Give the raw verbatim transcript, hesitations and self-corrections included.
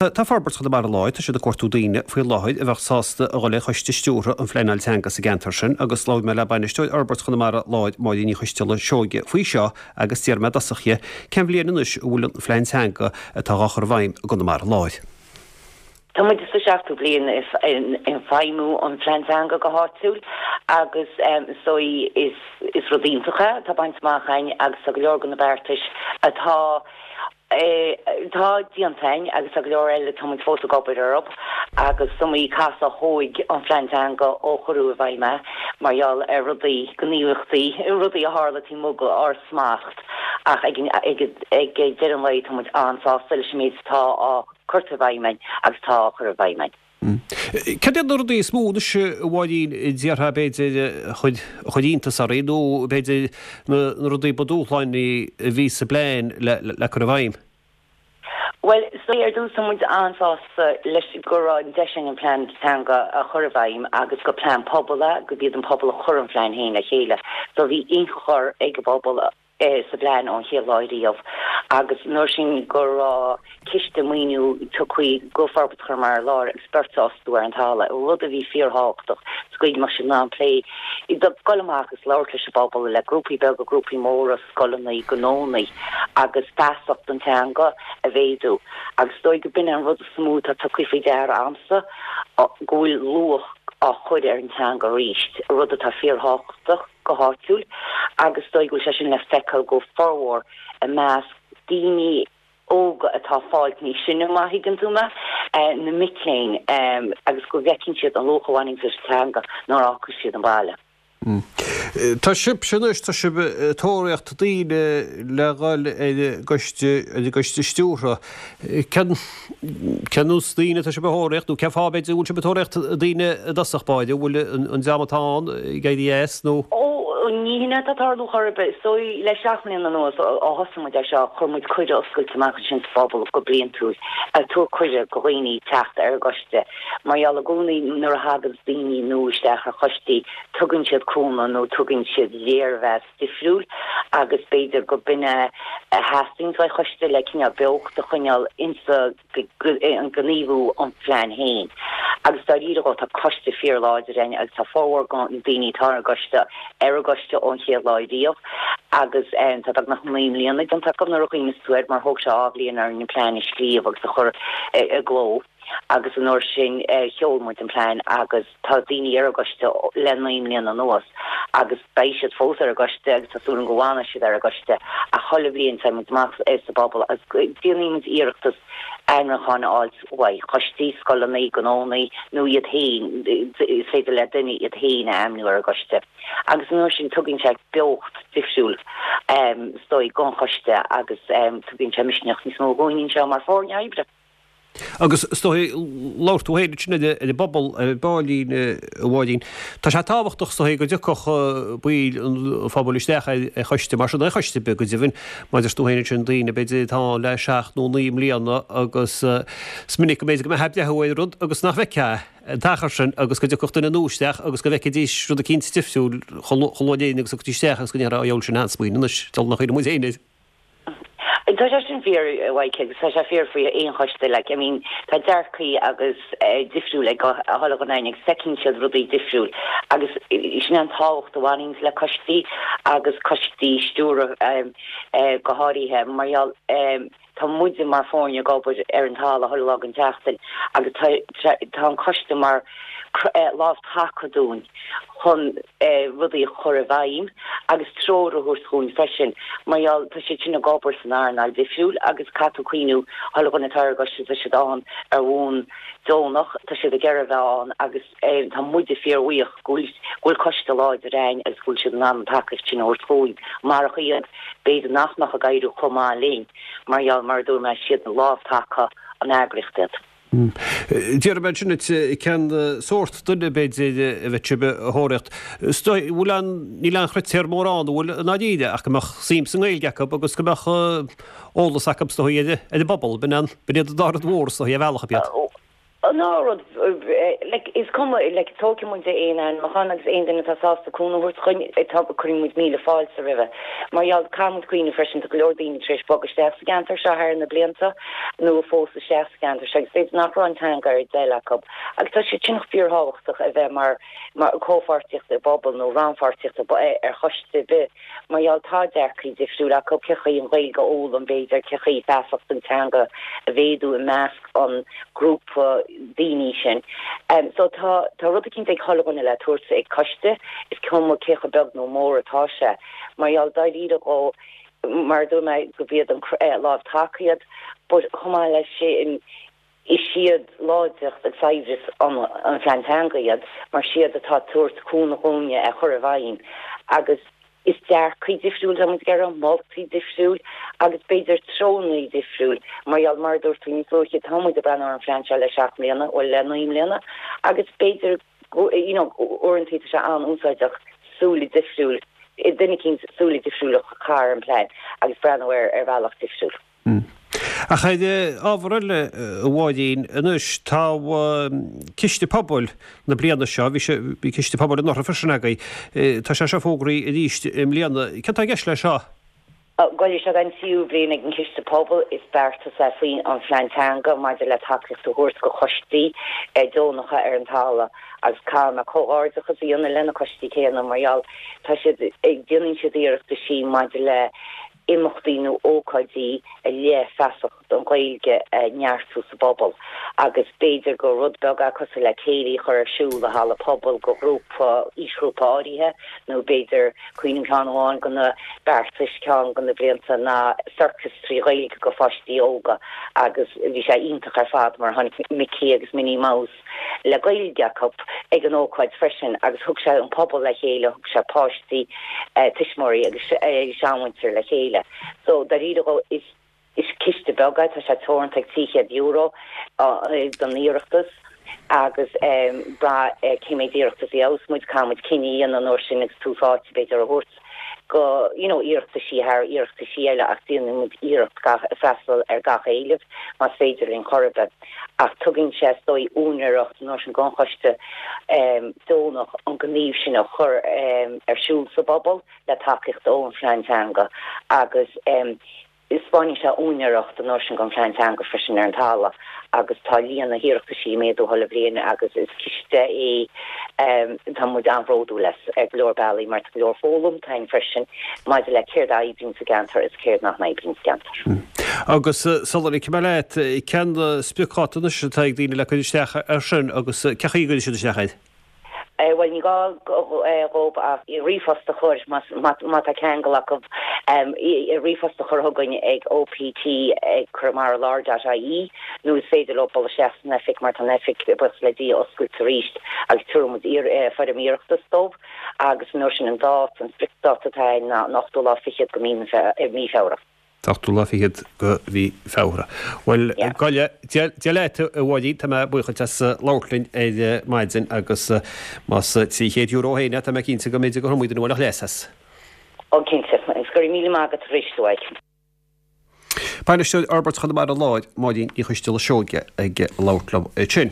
Tá Forbairt Chonamara Láir, tá siad ag cuartú daoine faoi láthair a bheadh sásta a dhul ar choiste stiúrtha an phleanáil teanga sa gceantar sin agus labhair mé le bainisteoir Fhorbairt Chonamara Láir, Máirín Ní Choisteala Seoige faoi seo agus d'iarr mé i dtosach dhi cén bhliain anois a bhfuil an phlean teanga atá á chur i bhfeidhm i gConamara Láir. Tá muid sa seachtú bliain ag feidhmiú an phlean teanga go háitiúil agus is dóigh is is rud iontach é atá bainte amach againn agus tá go leor de na beartais atá Tá déanta againn agus tá go leor eile tá muid fós ag obair orthu agus is iomaí casadh a thóig an phlean teanga ó cuireadh i bhfeidhm é mar gheall ar rudaí, gníomhaíochtaí, rudaí a tharla taobh amuigh d'ár smacht ach ag ag deireadh an lae tá muid an-sásta leis an méid atá á curtha i bhfeidhm againn agus atá á chur i bhfeidhm againn. Cad iad na rudaí is mó anois, a Mháirín, a déarfá b'fhéidir a chuir iontas oraibh nó b'fhéidir na rudaí ba dúshlánaí a bhí sa bplean le cur i bhfeidhm? Bhuel, is dóigh ar dtús tá muid an-sásta leis go raibh an deis againn an plean teanga a chur i bhfeidhm agus gur plean pobail é, gurb iad an pobal a chuir an plean féin le chéile. So bhí ionchur ag an bpobal sa bplean ón chéad lá riamh agus an uair sin go raibh ciste maoiniú tugtha go Forbairt Chonamara Láir agus beirt a fhostú ar an talamh, rud a bhí fíorthábhachtach sa gcaoi go mbeadh siad in ann plé, dul amach agus labhairt leis an bpobal, le grúpaí beaga, grúpaí móra, scoileanna, gnónna agus feasacht an teanga a mhéadú. Agus is dóigh go b'in an rud is mó atá tugtha faoi deara a'msa, go bhfuil luach á chur ar an teanga arís, rud atá fíorthábhachtach. go háitiúil agus is dóigh go bhfuil sé sin le feiceáil go formhór i measc daoine óga atá ag fáilt níos sine, má thuigeann tú mé, na mic léinn agus go bhfeiceann siad an luach a bhaineann leis an teanga nuair a fhágfas siad an baile. Tá sibhse anois, tá sibh ag tóraíocht daoine le dhul ar an gcoiste, ar an gcoiste stiúrtha. Cén, cén nós daoine atá sibh a thóraíocht nó cén fáth b'fhéidir go bhfuil sibh ag tóraíocht daoine i dtosach báire, an bhfuil an dream atá ann ag éirí as nó? Ó, ní hin atá ag tarlú chor ar bith. Is dóigh le seacht mbliana anuas ó thosaigh muid ar seo, chuir muid cuireadh oscailte amach ansin sa phobal go bliantúil, ag tabhairt cuireadh go dhaoine teacht ar an gcoiste. Mar gheall i gcónaí nuair a thaganns daoine nua isteach ar choistí, tugann siad cúnamh nó tugann siad léirmheas difriúil agus b'fhéidir go b'in é a theastaíonns uaidh choiste le cineál beocht a choinneáil insa gníomhú an phlean féin. Agus dáiríre dhó tá coiste fíorláidir againn agus tá formhór de na daoine atá ar an gcoiste ar an gcoiste ón chéad lá riamh agus tá beagnach naoi mbliana déanta acu nuair a chuimhníos tú air mar thóg sé dhá bhliain orainn an plean a scríobh agus a chur i gcló agus an uair sin sheol muid an plean agus tá daoine ar an gcoiste le naoi mbliana anuas agus beidh siad fós ar an gcoiste agus tá súil agam go bhfanfaidh siad ar an gcoiste ach chuile bhliain téann muid amach sa bpobal agus déanann muid iarrachtas ainmniúcháin a fháilt uaidh choistí, scoileanna, gnónna nó iad féin, is féidir le duine iad féin a ainmniú ar an gcoiste agus an uair sin tugann sé beocht difriúil is dóigh don choiste agus tugann sé misneach níos mó dhúinn anseo mar foirne oibre. Agus is dóigh, labhair tú féin ansin ar an bpobal, ar an bpáilín, a Mháirín. Tá sé tábhachtach, is dóigh, go dtiocfadh baill an phobail isteach ar choiste mar sin, ar choiste ar bith go deimhin, mar a deir tú féin ansin, daoine b'fhéidir atá ann le seacht nó naoi mbliana agus is minic go mb'fhéidir go mbeifeá ag breathnú ar rud agus nach bhfeicfeá an t-achar sin agus go dtiocfadh duine nua isteach agus go bhfeicfidís rud eicínt difriúil chomh luath linn agus a thiocfaidís isteach agus go ndéarfá, Ó, dheabhail, sin an-smaoineamh anois, deabhal nach cuimhin muid féin air. Tá sé sin fíor, a Mhaidhc, agus tá sé fíor faoi aon choiste, like, I mean, tá dearcaí agus difriúil ag chuile dhuine againn agus feiceann siad rudaí difriúil agus sin an tábhacht a bhaineann le coistí agus coistí stiúrtha go háirithe mar gheall tá muide mar foirne ag obair ar an talamh chuile lá den tseachtain agus tá tá an coiste mar lámh taca dúinn chun rudaí a chur i bhfeidhm agus treoir a thabhairt dhúinn freisin mar gheall tá siad sin ag obair san earnáil difriúil agus caithfidh tú cuimhniú chuile dhuine atá ar an gcoiste tá siad ann ar bhonn deonach tá siad ag iarraidh a bheith ann agus tá muide fíorbhuíoch go bhfuil go bhfuil coiste láidir againn agus go bhfuil siad in ann an tacaíocht sin a thabhairt dhúinn marach iad b'fhéidir nach mbeadh ag éirí chomh maith linn mar gheall mar a dúirt mé is iad lámh taca an eagraíocht iad. Déarfaidh mé ansin duit cén sórt duine, b'fhéidir, a bheadh sibh a thóraíocht. Is dóigh, bhfuil aon, níl aon chritéar mór ann, an bhfuil, i ndáiríre, ach go mbeadh suim sa nGaeilge acu agus go mbeadh eolas acu, is dóigh, ar an bpobal. B'in an, b'in iad an dá rud mhór, is dóigh, ar bhealach ar bith. Ná rud like is cuma like tógfaidh muid aon ainmniúchán agus aon duine atá sásta cúnamh a thabhairt dúinn tá cuireann muid míle fáilte roimhe. Mar gheall caithfidh muid cuimhneamh freisin tá go leor daoine tar éis bogadh isteach sa gceantar seo thar na blianta nó a phós isteach sa gceantar seo agus b'fhéidir nach raibh an teanga ar a dtoil acu. Agus tá sé sin fíorthábhachtach a bheith mar mar comhpháirtíocht i bpobal nó rannpháirtíocht ar choiste ar bith mar gheall tá dearcadh difriúil acu cén chaoi an Ghaeilge a fhoghlaim b'fhéidir cén chaoi feasacht an teanga a mhéadú i measc an grúpa daoine sin. Um, so tá tá rud eicínt ag chuile dhuine le tabhairt ag coiste is cuma cé chomh beag nó mór atá sé mar gheall dáiríre go mar dúirt mé go b'iad an eh, lámh taca iad, but chomh maith leis sin is iad láidreacht agus saibhreas an an phlean teanga iad mar siad atá tabhairt cúnamh dúinne a chur i bhfeidhm agus is dearcadh difriúil tá muid ag iarraidh moltaí difriúil agus b'fhéidir treonaí difriúil mar gheall mar dúirt tú níos luaithe tá muid ag breathnú ar an phlean seo le seacht mbliana ó le naoi mbliana agus b'fhéidir you know uaireanta tá sé an-úsáideach súile difriúil duine eicínt súile difriúil a chur ar an plean agus breathnú ar ar bhealach difriúil. Mm. Ach ar ábhar eile a Mháirín, anois tá Ciste Pobail na bliana seo, bhí sé bhí Ciste Pobail anuraidh freisin agaibh, tá sé seo fógraithe arís i mbliana. Céard atá i gceist leis seo? Bhuel seo an tríú bliain ag an Ciste Pobail is beartas é faoin an phlean teanga maidir le tacaíocht a thabhairt go choistí deonacha ar an talamh agus caithfidh mé comhghairdeachas a dhéanamh lena coistí céanna mar gheall tá siad ag déanann siad iarrachtaí maidir le imeachtaí nó ócáidí a le feasacht an Ghaeilge a neartú sa bpobal agus b'fhéidir gur rud beag é cosúil le céilí a chur ar siúl i halla pobail go grúpa aoisghrúpa áirithe nó b'fhéidir cuimhním ceann amháin de na beartais ceann de na blianta ná circus trí Ghaeilge go pháistí óga agus bhí sé iontach ar fad mar tháinig Mickey agus Minnie Mouse le Gaeilge acu ag an ócáid freisin agus thug sé an pobal le chéile thug sé páistí eh, tuismitheoirí agus eh, seanmhuintir le chéile. So dáiríre is is ciste beag é tá sé teoranta ag trí chéad euro don iarratas agus um, bra uh, cé mhéad iarratas a fhaigheas muid caithfidh muid cinneadh an uair sin agus tús áite b'fhéidir a thabhairt go you know iarrataisí thar iarrataisí eile ach déanann muid iarracht gach freastal ar gach éileamh más féidir linn chor ar bith ach tugann sé is dóigh úinéireacht nó sin don choiste um, deonach an gníomh sin a chur um, ar siúl sa bpobal le tacaíocht ón phlean teanga agus um, Is baineann sé úinéireacht an sin don phlean teanga freisin ar an talamh agus tá líon na n-iarrataisí ag méadú chuile bhliain agus is ciste é um, tá muid an-bhródúil as ar go leor bealaí mar go leor foghlamtha againn freisin maidir le céard a oibríonn sa gceantar is céard nach n-oibríonn sa gceantar. Mm. Agus uh, sula ligfidh mé leat cén spriocdháta anois atá ag daoine le cur isteach ar sin agus uh, cén chaoi a gcuirfidh siad isteach air. Eh, well ní gá dóibh ach ríomhphost a chur má tá ceangal acu ríomhphost a chur chugainn ag OPT ag conamaraláir.ie nó is féidir leo dul isteach san oifig mar tá an oifig buíochas le Dia oscailte arís agus tabharfaidh muid foirm iarratais dóibh agus nó sin an dát an spriocdháta atá ná an ochtú lá fichead de mhí Feabhra. ochtú lá fichead de mhí Feabhra. Well Goile Dia leat a Mháirín tá mé buíoch as labhairt linn ar maidin agus más trí chéad euro féin tá mé cinnte go mbeidh go muid an bhfuil leas as. Ó cinnte, go raibh míle maith agat arís uait. Bainisteoir Fhorbairt Chonamara Láir Máirín Ní Choisteala Seoige ag labhairt liom sin.